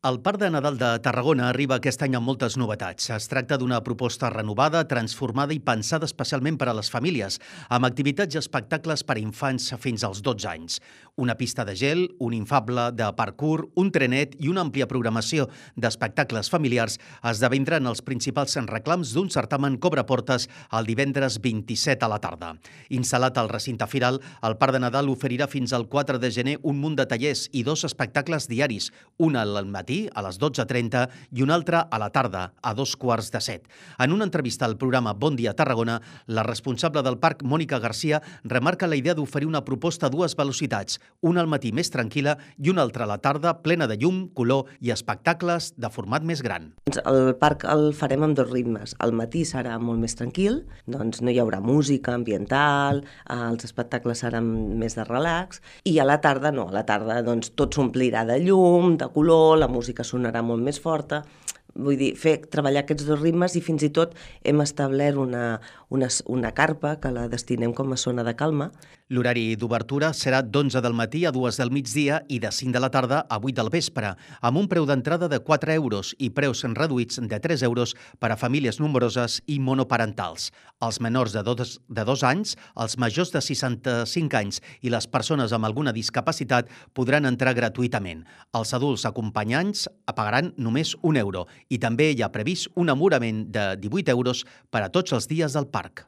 El Parc de Nadal de Tarragona arriba aquest any amb moltes novetats. Es tracta d'una proposta renovada, transformada i pensada especialment per a les famílies, amb activitats i espectacles per a infants fins als 12 anys. Una pista de gel, un infable de parkour, un trenet i una àmplia programació d'espectacles familiars esdevindran els principals reclams d'un certamen que obre portes el divendres 27 a la tarda. Instal·lat al recinte firal, el Parc de Nadal oferirà fins al 4 de gener un munt de tallers i 2 espectacles diaris, un al matí a les 12:30 i un altre a la tarda, a 14:15. En una entrevista al programa Bon Dia Tarragona, la responsable del parc, Mònica Garcia, remarca la idea d'oferir una proposta a dues velocitats, una al matí més tranquil·la i una altra a la tarda plena de llum, color i espectacles de format més gran. El parc el farem amb 2 ritmes. Al matí serà molt més tranquil, doncs no hi haurà música ambiental, els espectacles seran més de relax, i a la tarda no, a la tarda doncs, tot s'omplirà de llum, de color, la música sonarà molt més forta. Vull dir, treballar aquests 2 ritmes, i fins i tot hem establert una carpa que la destinem com a zona de calma. L'horari d'obertura serà d'11 del matí a 2 del migdia i de 5 de la tarda a 8 del vespre, amb un preu d'entrada de 4 euros i preus reduïts de 3 euros per a famílies nombroses i monoparentals. Els menors de 2 anys, els majors de 65 anys i les persones amb alguna discapacitat podran entrar gratuïtament. Els adults acompanyants pagaran només 1 euro i també hi ha previst un amorament de 18 euros per a tots els dies del parc.